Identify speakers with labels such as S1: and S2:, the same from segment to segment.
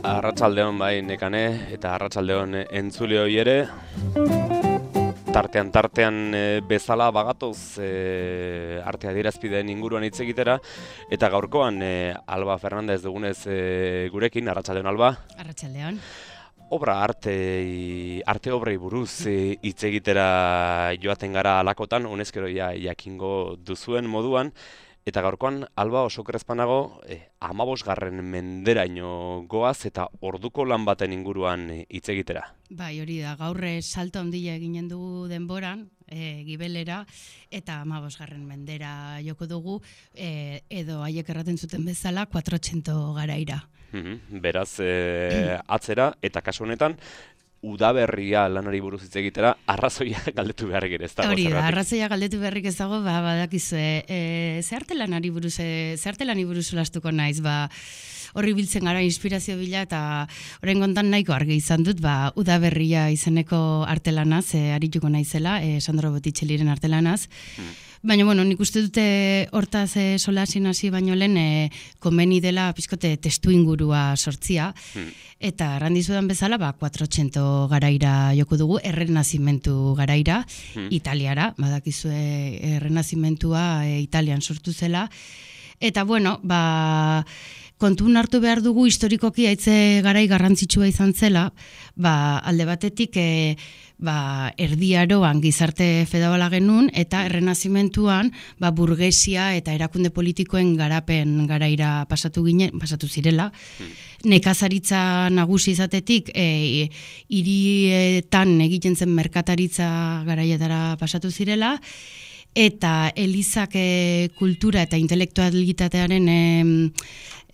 S1: Arratsaldeon bai nekane eta arratsaldeon entzule hoi ere. Tartean bezala bagatoz arte adierazpideen inguruan hitz egitera eta gaurkoan Alba Fernandez dugunez gurekin. Arratsaldeon Alba.
S2: Arratsaldeon.
S1: Arte obrei buruz hitz egitera joaten gara alakotan, honezkero jakingo duzuen moduan. Eta gaurkoan, Alba, oso krezpanago, 15. menderaino goaz eta orduko lan baten inguruan hitz egitera.
S2: Bai, hori da, gaur salto handia eginen dugu denboran, gibelera, eta 15. mendera joko dugu, edo haiek erraten zuten bezala, 400 garaira.
S1: Beraz, atzera, eta kasu honetan, udaberria lanari buruz hitz egitera, arrazoia galdetu beharrik ere ez dago.
S2: Hori da, arrazoia galdetu beharrik ez dago, badakizue, ze artelani buruz solastuko naiz, horri biltzen gara inspirazio bila, eta orain kontan nahiko argi izan dut, udaberria izeneko artelanaz, arituko naizela, Sandro Botticelliren artelanaz. Baina, nik uste dute hortaz solasin hasi baino lehen komeni dela pizkote testu ingurua sortzia, eta errandizudan bezala 400 garaira joko dugu, errenazimentu garaira, Italiara, badakizue errenazimentua Italian sortu zela, eta kontun hartu behar dugu historikoki haitze garai garrantzitsua izan zela, alde batetik Erdi Aroan gizarte fedabala genuen eta errenazimentuan burgesia eta erakunde politikoen garapen garaira pasatu zirela. Nekazaritza nagusi izatetik hirietan egiten zen merkataritza garaietara pasatu zirela, eta elizak kultura eta intelektualitatearen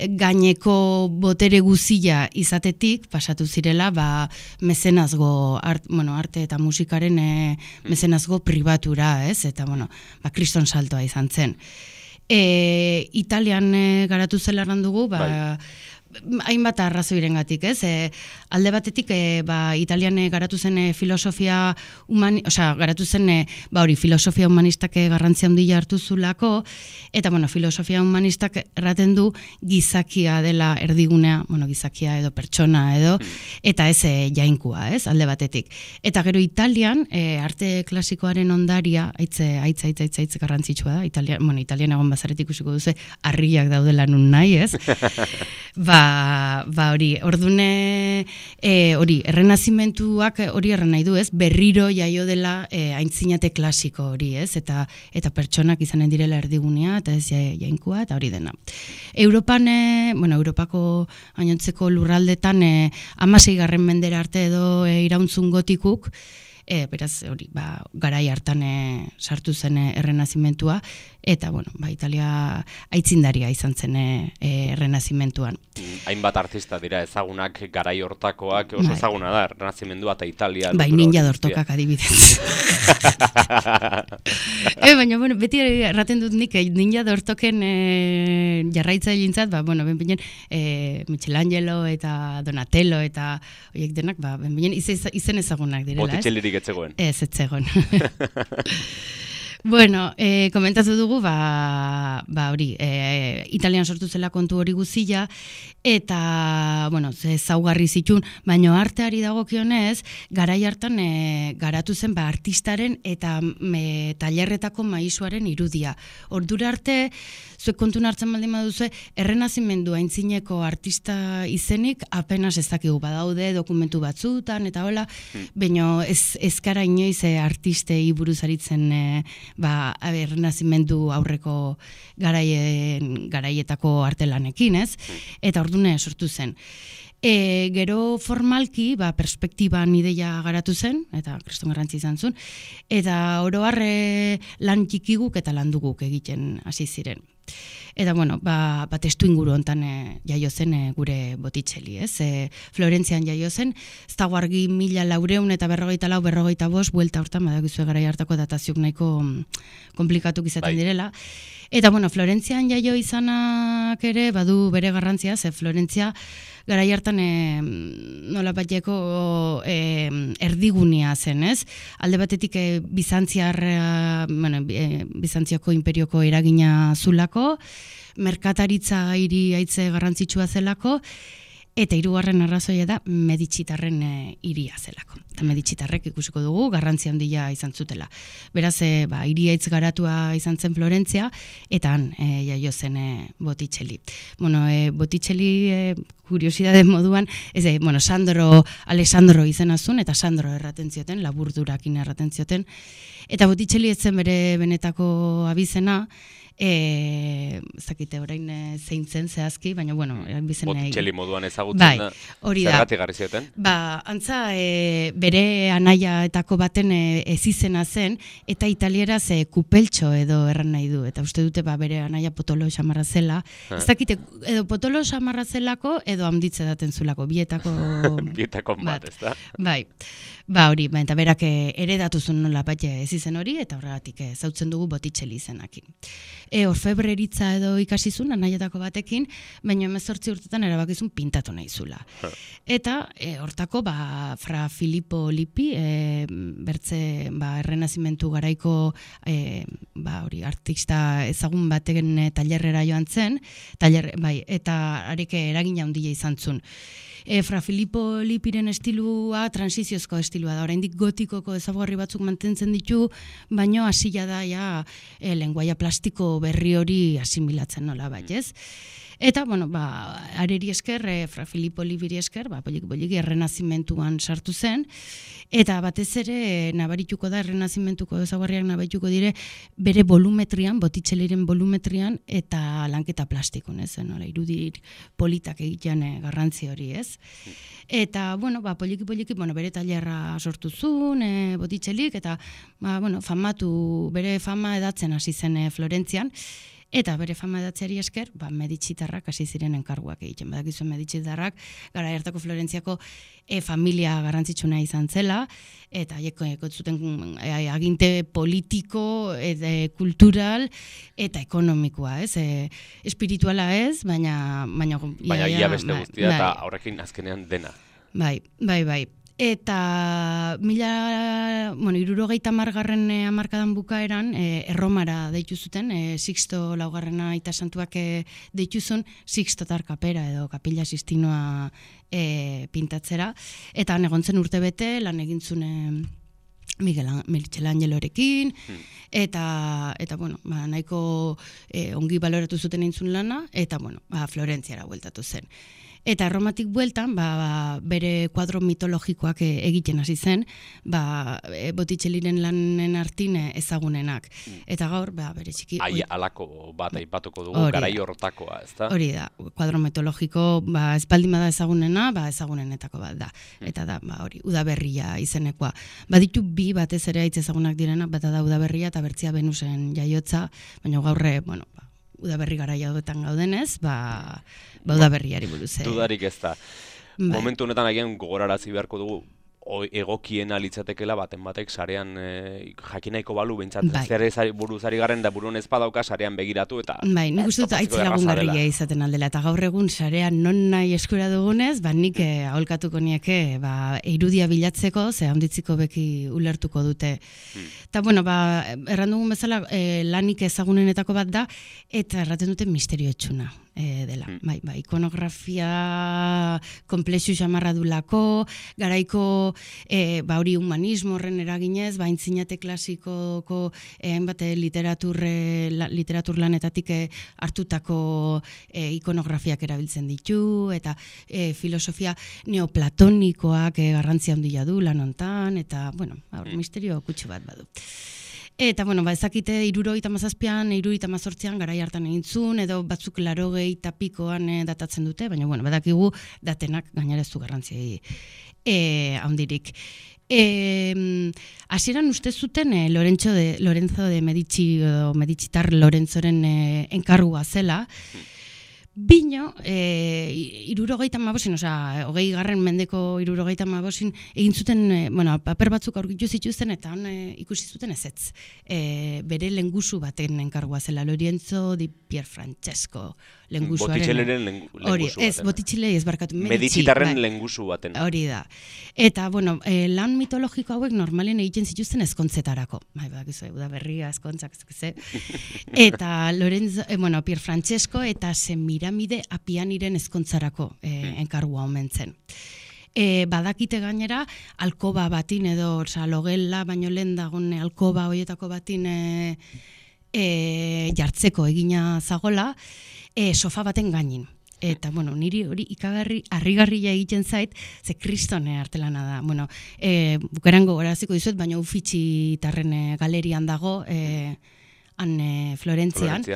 S2: gaineko botere guzia izatetik pasatu zirela mezenazgo arte eta musikaren mezenazgo pribatura, ez? Eta kriston saltoa izan zen. Italian garatu zela errandugu, hainbat arrazoirengatik, ez? Alde batetik Italian garatu zen filosofia filosofia humanistak garrantzia handia hartu zulako, eta filosofia humanistak erraten du gizakia dela erdigunea, gizakia edo pertsona edo, eta ez jainkua, ez? Alde batetik. Eta gero Italian arte klasikoaren ondaria aitz garrantzitsua da. Italian egon bazaretik ikusiko duzu harriak daudela nun nahi, ez? Ordune errenazimentuak hori erran nahi du, ez? Berriro jaio dela aintzinate klasiko hori, ez? Eta pertsonak izanen direla erdigunea, eta ez jainkua, eta hori dena. Europako gainontzeko lurraldetan 16. mendera arte edo irauntzun gotikuk, beraz, garai hartan sartu zen errenazimentua, eta, Italia aitzindaria izan zen errenazimentuan.
S1: Hainbat artista dira ezagunak garai hortakoak, oso ezaguna da, errenazimendua eta Italia.
S2: Ninja Dortokak adibidez. Baina, beti erraten dut nik, Ninja Dortoken jarraitzaileintzat, Michelangelo eta Donatello eta horiek denak, izen ezagunak direla, ez?
S1: Botticellirik ez zegoen.
S2: Ez zegoen. Komentatu dugu, Italian sortu zela kontu hori guzia, eta, zaugarri zitun, baina arteari dagokionez, garai hartan garatu zen artistaren eta tailerretako maisuaren irudia. Ordura arte, zuek kontun hartzen baldin baduzu, errenazimendu aintzineko artista izenik apenas ez dakigu, badaude dokumentu batzutan, eta hola, baina ez gara inoiz artistei buruz aritzen errenazimendu aurreko garaietako artelanekin, ez? Eta ordune sortu zen. Gero formalki, perspektiban ideia garatu zen, eta kriston garrantzi izan zuen, eta oro har lan txikiguk eta landuguk egiten hasi ziren. Eta, testu inguru hontan jaio zen gure Botticelli, ez? Florentzian jaio zen, ez dago argi 1444-45, buelta hortan, badakizue garai hartako dataziok nahiko komplikatuk izaten direla. Eta, Florentzian jaio izanak ere, badu bere garrantzia, Florentzia garai hartan nolabaiteko erdigunea zen, ez? Alde batetik Bizantziako imperioko eragina zulako, merkataritza hiri haitze garrantzitsua zelako, Eta hirugarren arrazoia da Meditxitarren hiria zelako. Eta Meditxitarrek ikusiko dugu garrantzi handia izan zutela. Beraz, hiriaitz garatua izan zen Florentzia, eta han jaio zen Botticelli. Bueno, Botticelli kuriosidade moduan, Alessandro izena zuen, eta Sandro erraten zioten, laburdurakin erraten zioten. Eta Botticelli ez zen bere benetako abizena, zakite orain zein zen zehazki, baina
S1: Botticelli moduan ezagutzen da, zergatik garri zioten?
S2: Antza, bere anaiaetako baten ezizena zen, eta italieraz kupeltxo edo erran nahi du, eta uste dute bere anaia potolo xamarra zela, ez dakite, edo potolo xamarra zelako, edo handitze daten zulako, bietako
S1: bat, ez da?
S2: Bai, hori, eta berak eredatu zuen nola bat ezizen hori, eta horregatik zautzen dugu Botticelli izenakin. Orfebreritza edo ikasizun anaietako batekin, baina 18 urtetan erabakizun pintatu nahi zula. Eta hortako Fra Filippo Lippi, bertze errenazimentu garaiko artista ezagun baten tailerrera joan zen, eta arek eragina handia izan zuen. Fra Filippo Lippiren estilua transiziozko estilua da, oraindik gotikoko ezaugarri batzuk mantentzen ditu, baino hasila da lenguaia plastiko berri hori asimilatzen nola ez? Eta, areri esker, Fra Filippo Lippiri esker, poliki errenazimentuan sartu zen, eta batez ere nabarituko da, errenazimentuko ezaugarriak nabarituko dire, bere volumetrian, Botticelliren volumetrian, eta lanketa plastikon, irudik politak egitean garrantzi hori, ez? Eta, poliki, bere tailerra sortu zuen, Botticellik, eta, bere fama edatzen hasi zen Florentzian, eta bere fama edatzeari esker, Meditxitarrak hasi ziren enkarguak egiten. Badakizuen Meditxitarrak, gara hartako Florentziako familia garrantzitsuna izan zela, eta zuten aginte politiko, kultural, eta ekonomikoa, ez? Espirituala ez, baina
S1: ia beste guztia, eta horrekin azkenean dena.
S2: Bai. Eta 70garren hamarkadan bukaeran Erromara deitu zuten, Sixto laugarrena aita santuak deitu zuen Sixtotar kapera edo Kapilla Sistinoa pintatzera, eta han egon zen urtebete lan egin zuen Michelangelorekin, eta nahiko ongi baloratu zuten egin zuen lana, eta Florentziara bueltatu zen. Eta Erromatik bueltan, bere kuadro mitologikoak egiten hasi zen, Botticelliren lanen artin ezagunenak. Eta gaur, bere txiki...
S1: Alako bat aipatuko dugu, garai hortakoa, ez da?
S2: Hori da, kuadro mitologiko, espaldin bada ezagunena, ezagunenetako bat da. Eta da, hori, Udaberria izenekoa. Baditu bi batez ere aitz ezagunak direna, bata da Udaberria eta Bertzia Venusen jaiotza, baina gaurre, Udaberri garaia hauetan gaudenez, Udaberriari buruz.
S1: Dudarik ez da. Momentu honetan agian gogorarazi beharko dugu, egokiena litzatekela baten batek sarean jakinaiko balu behintzat zer buruzari garen da burun ez badauka sarean begiratu eta
S2: nik uste dut aitz lagungarria izaten aldela eta gaur egun sarean non nahi eskura dugunez, nik aholkatuko nieke irudia bilatzeko, ze handitziko beki ulertuko dute. Eta erran dugun bezala lanik ezagunenetako bat da, eta erraten dute misterio etxuna dela. Ikonografia komplexu xamarra dulako, garaiko hori humanismo horren eraginez, aintzinate klasikoko hainbat literatur lanetatik hartutako ikonografiak erabiltzen ditu, eta filosofia neoplatonikoak garrantzia handia du lan hontan, eta misterio kutsu bat badu. Eta, ezakite, 77an, 78an garai hartan egin zuen, edo batzuk 80 pikoan datatzen dute, baina, badakigu datenak gainera ez du garrantzia handirik. Hasieran uste zuten Lorenzo de Medici, Meditxitar Lorenzoren enkargua zela, bino, 20. mendeko 70 egin zuten, paper batzuk aurkitu zituzten, eta han ikusi zuten ezetz. Bere lengusu baten enkargua zela, Lorenzo di Pierfrancesco lengusuaren.
S1: Botitxeleren
S2: Hori,
S1: lengusu
S2: ez,
S1: baten.
S2: botitxile ez barkatu.
S1: Medizitarren
S2: bai.
S1: lengusu baten.
S2: Hori da. Eta, bueno, lan mitologiko hauek normalen egiten zituzten ezkontzetarako. Bai, bakizu, udaberria, ezkontzak, ez. Eta Lorenzo, Pier Francesco eta Semiramide Apianiren ezkontzarako enkargua omen zen. Badakite gainera, alkoba batin edo, logela baino lehen dagoen alkoba horietako batin jartzeko egina zagola, sofa baten gainin. Eta, niri hori ikagarri, harrigarria egiten zait, ze kristone artelana da. Bukaran gogoraziko dizuet, baina Uffizi-tarren galerian dago, han Florentzian.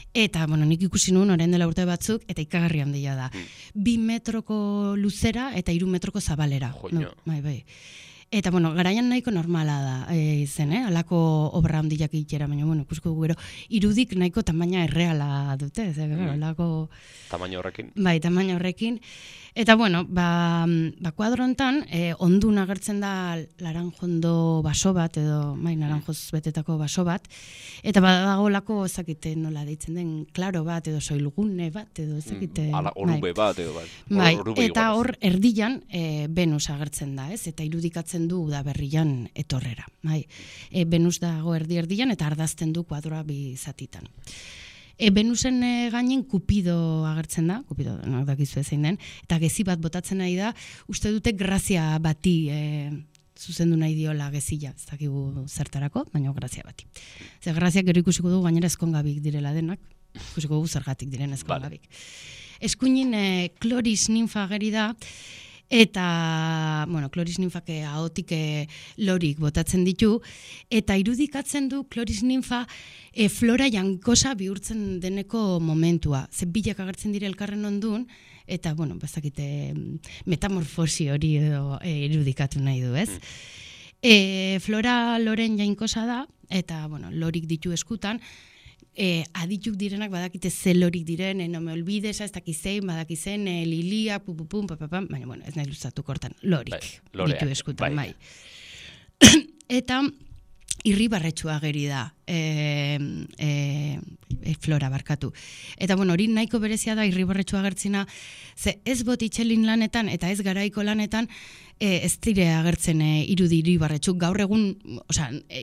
S2: Eta, nik ikusi nuen orain dela urte batzuk, eta ikagarri handia da. 2 metroko luzera eta 3 metroko zabalera. Bai. Eta, garaian nahiko normala da izen, alako obra handiak egitera, baina, ikusko gero, irudik nahiko tamaina erreala dute, alako...
S1: Tamaina horrekin?
S2: Bai, tamaina horrekin. Eta, kuadro hontan, ondun agertzen da laranjondo baso bat, edo, naranjoz betetako baso bat, eta badagolako, ezakite nola deitzen den, klaro bat, edo soilgune bat, edo ezakite...
S1: Orube bat, edo bat.
S2: Bai, eta hor erdian Venus agertzen da, ez? Eta irudikatzen du udaberrian etorrera. Venus dago erdian eta ardazten du kuadroa 2 zatitan. Venusen gainen Kupido agertzen da, Kupido dakizu zein den, eta gezi bat botatzen nahi da, uste dute grazia bati zuzendu nahi diola gezila, ez dakigu zertarako, baina grazia bati. Zer graziak gero ikusiko du gainera ezkongabik direla denak, ikusiko gu zergatik diren ezkongabik. Eskuinin Kloris ninfa ageri da, eta, Kloris ninfak ahotik lorik botatzen ditu, eta irudikatzen du Kloris ninfa flora jankosa bihurtzen deneko momentua. Ze bilak agertzen dire elkarren ondun, eta, bazakite metamorfosi hori irudikatu nahi du, ez? Flora loren jainkosa da, eta, lorik ditu eskutan, adituk direnak badakite ze lorik diren, no me olvides, ez dakizein, badakizen, lilia, pupupum, papapam, baina, ez nahi luzatu kortan, lorik ditu eskutan, bai. Eta irribarretxua ageri da, flora barkatu. Eta, hori nahiko berezia da irribarretxua agertzena, ze ez botitxelin lanetan eta ez garaiko lanetan, ez dire agertzen irudi irribarretxuk. Gaur egun,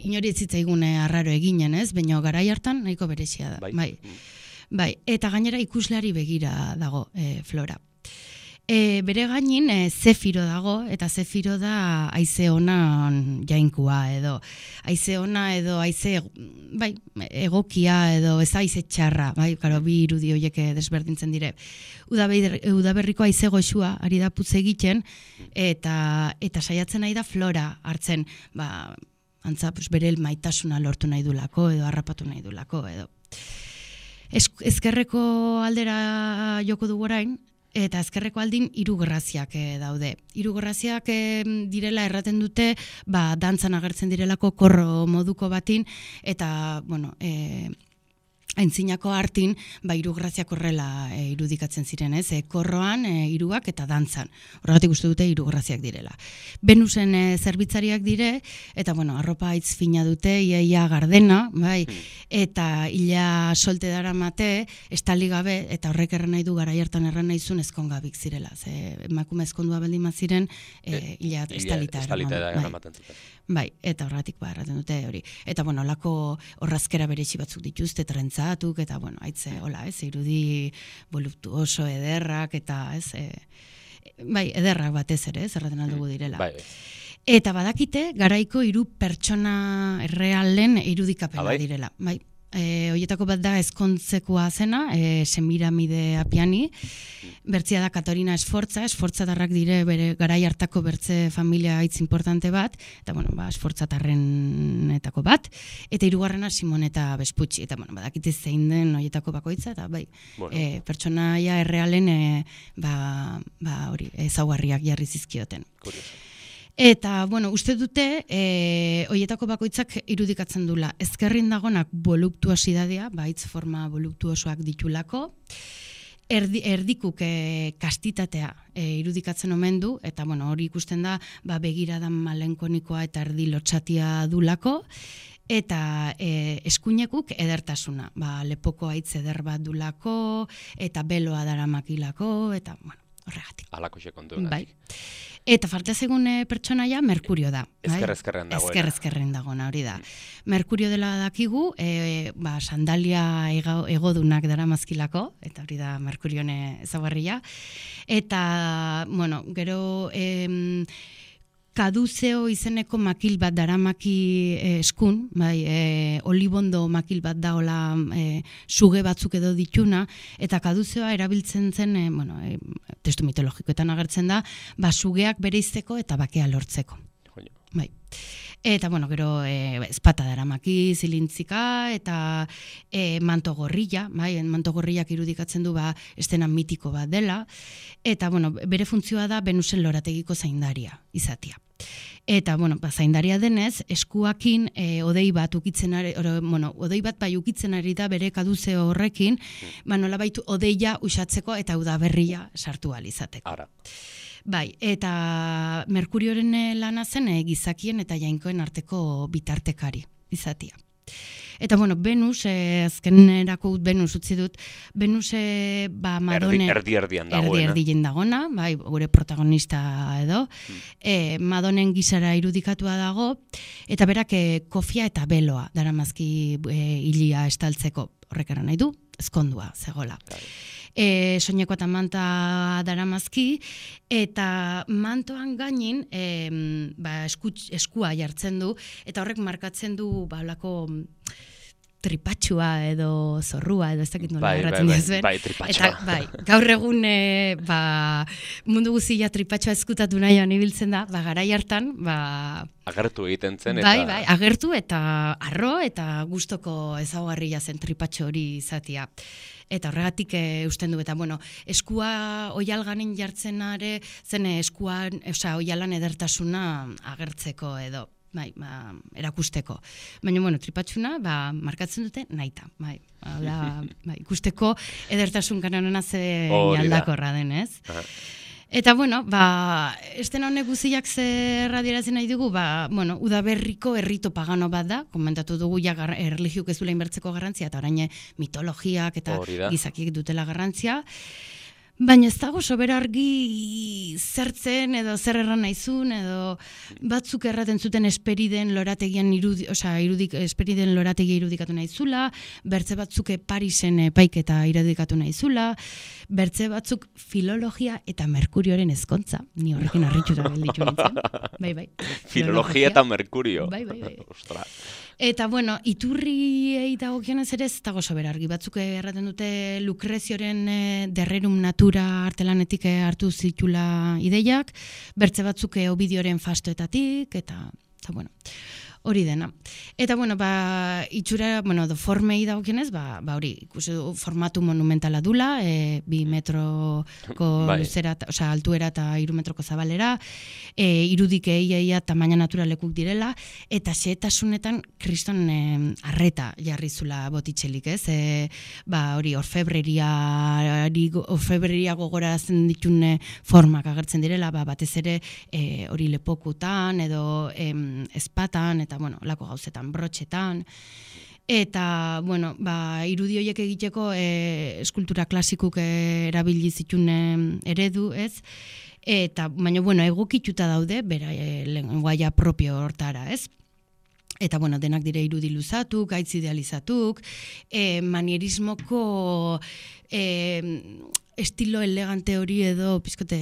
S2: inori ez zitzaigun arraro eginen, ez? Baina garai hartan nahiko berezia da. Bai. Eta gainera ikusleari begira dago flora. Bere gainin Zefiro dago, eta Zefiro da haize onan jainkua edo. Haize ona edo haize egokia edo ez haize txarra, bi irudi horiek desberdintzen dire. Udaberriko haize goxua ari da putz egiten, eta saiatzen nahi da flora hartzen, antza bere maitasuna lortu nahi dulako edo harrapatu nahi dulako edo. Ezkerreko aldera joko dugu orain, eta ezkerreko aldin 3 graziak daude. 3 graziak direla erraten dute, dantzan agertzen direlako korro moduko batin, eta, aintzinako hartin, 3 graziak horrela irudikatzen ziren, ez? Korroan, 3ak eta dantzan. Horregatik uste dute 3 graziak direla. Venusen zerbitzariak dire, eta, arropa aitz fina dute, iaia gardena, eta ila solte dara mate, estali gabe, eta horrek erran nahi du garai hartan erran nahi zuen ezkongabik zirela. Emakume ezkondua baldin maziren, ila estalita eramaten zuten. Bai, eta horregatik erraten dute hori. Eta, olako horrazkera berezi batzuk dituzte, trentzatuk, eta, haitze, irudi voluptuoso ederrak, eta, ederrak batez ere, erraten aldugu direla. Eta badakite, garaiko 3 pertsona errealen irudikapena direla. Horietako bat da ezkontzekoa zena, Semiramide Apiani, bertzia da Katarina Esfortzatarrak dire bere garai hartako bertze familia hitz importante bat, eta, esfortzatarrenetako bat, eta 3garrena Simoneta Besputxi, eta, badakite zein den horietako bakoitza, eta, pertsonaia errealen, hori, ezaugarriak jarri zizkioten. Eta, uste dute, horietako bakoitzak irudikatzen dula. Ezkerrin dagonak voluptuosidadea, hitz forma voluptuosoak ditulako, erdikuk kastitatea irudikatzen omen du, eta hori ikusten da begiradan malenkonikoa eta erdi lotxatia dulako, eta eskuinekuk edertasuna. Lepoko haitz eder bat dulako, eta beloa daramakilako, eta, bueno, horregatik.
S1: Alako kontu.
S2: Bai. Eta falta zegun pertsonaia Merkurio da.
S1: Ezker-ezkerren dagoena.
S2: Ezker-ezkerren dagoena, hori da. Merkurio dela dakigu, sandalia egodunak daramazkilako, eta hori da Merkurione ezaugarria. Eta, bueno, gero kaduzeo izeneko makil bat daramaki eskun, olibondo makil bat da hola suge batzuk edo dituna, eta kaduzeoa erabiltzen zen, testu mitologikoetan agertzen da, sugeak bereizteko eta bakea lortzeko. Bai. Eta, gero ezpata daramaki, zilintzika, eta manto gorrilla, manto gorrillak irudikatzen du estena mitiko bat dela, eta, bere funtzioa da Venusen lorategiko zaindaria izatea. Eta, zaindaria denez, eskuakin odei bat ukitzen ari da bere kaduzeo horrekin, nolabait odeia usatzeko eta udaberria sartu ahal izateko.
S1: Ara.
S2: Bai, eta Merkurioren lana zen gizakien eta jainkoen arteko bitartekari izatea. Eta, Venus, azkenerako Venus utzi dut, Venus, Madone...
S1: Erdi-erdian dagoena.
S2: Erdi-erdien dagoena, gure protagonista edo, Madonen gizara irudikatua dago, eta berak kofia eta beloa daramazki hilia estaltzeko, horrek eran nahi du, ezkondua, zegoela. Soineko eta manta daramazki, eta mantoan gainin eskua jartzen du, eta horrek markatzen du balako tripatxua edo zorrua edo ez dakit nola erratzen dizuen.
S1: Bai, tripatxua.
S2: Eta, gaur egun mundu guztia tripatxua ezkutatu nahian ibiltzen da, garai hartan,
S1: agertu egiten zen,
S2: eta... Bai, agertu eta arro eta gustoko ezaugarria zen tripatxo hori izatea. Eta horregatik usten du, eta eskua oialganen jartzenare, zen eskuan, oialan edertasuna agertzeko edo. Erakusteko. Baina, tripatxuna, markatzen dute naita. Ikusteko edertasun kanonena ze aldakorra denez. Eta, estena honek guziak zer adieratzen nahi dugu, udaberriko errito pagano bat da, komentatu dugu erligiuk ez duela inbertzeko garrantzia, eta orain mitologiak eta gizakiek dutela garrantzia. Baina ez dago sobera argi zertzen edo zer erran naizun edo batzuk erraten zuten esperiden lorategian esperiden lorategia irudikatu naizula, bertze batzuk Parisen epaiketa irudikatu naizula, bertze batzuk filologia eta Merkurioren ezkontza. Ni horrekin harrituta gelditu nintzen. Bai.
S1: Filologia eta Merkurio.
S2: Bai. Ostras. Eta, iturriei dagokionez ere ez dago sobera argi. Batzuk erraten dute Lukrezioren derrerum natura artelanetik hartu zitula ideiak, bertze batzuk Ovidioren fastoetatik, eta hori dena. Eta, itxura, formei dagokionez, hori, ikusi formatu monumentala dula, 2 metroko luzera, altuera eta 3 metroko zabalera, irudik eia tamaina naturalekuk direla, eta xehetasunetan kriston arreta jarri zula botitxelik, ez? Hori, orfebreria gogorazen ditune formak agertzen direla, batez ere hori lepokutan, edo ezpatan, eta lako gauzetan, brotxetan, eta, irudi horiek egiteko eskultura klasikuk erabili zituen eredu, ez? Eta, baina, egokituta daude, bera, lenguaia propio hortara, ez? Eta, denak dire irudi luzatuk, gaitz idealizatuk, manierismoko estilo elegante hori edo, pizkote,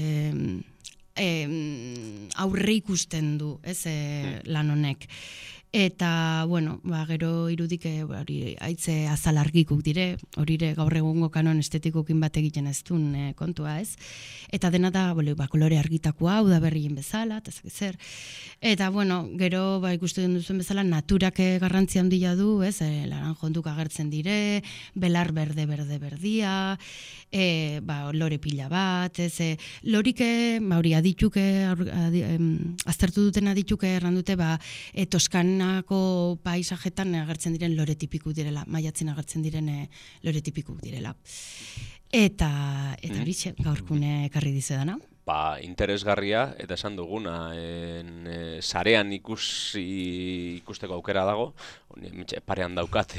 S2: aurre ikusten du, ez, lan honek. Eta, gero irudik haitze azalargikuk dire, horire gaur egungo kanon estetikokin bat egiten ez duen kontua, ez? Eta dena da, kolore argitakoa, udaberrien bezala, eta zer. Eta, gero ikusten duzuen bezala, naturak garrantzia handia du, ez? Laranjonduk agertzen dire, belar berdia, lore pila bat, ez? Lorik, hori adituk, aztertu duten adituk errandute, Toskanako paisajetan agertzen diren lore tipikuk direla, maiatzen agertzen diren lore tipikuk direla. Eta horixe, gaurkune ekarri dizudana.
S1: interesgarria, eta esan duguna, sarean ikusteko aukera dago, parean daukat,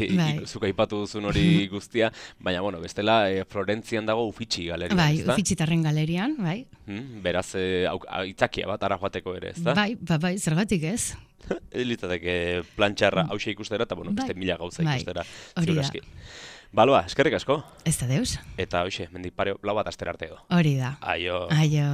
S1: zuk aipatu duzun hori guztia, baina, bueno, bestela, Florentzian dago Uffizi galerian,
S2: bai,
S1: ezta?
S2: Uffizitarren galerian, bai.
S1: Beraz, aitzakia bat, ara joateko ere, ezta?
S2: Bai, zergatik ez?
S1: Litzateke plantxarra hause ikustera, eta, bueno, beste mila gauza ikustera,
S2: hori
S1: ziur aski. Baloa, eskerrik asko.
S2: Ez da deus.
S1: Eta, hoxe, mendik pare, lau bat astera arte edo.
S2: Hori da.
S1: Aio.
S2: Aio.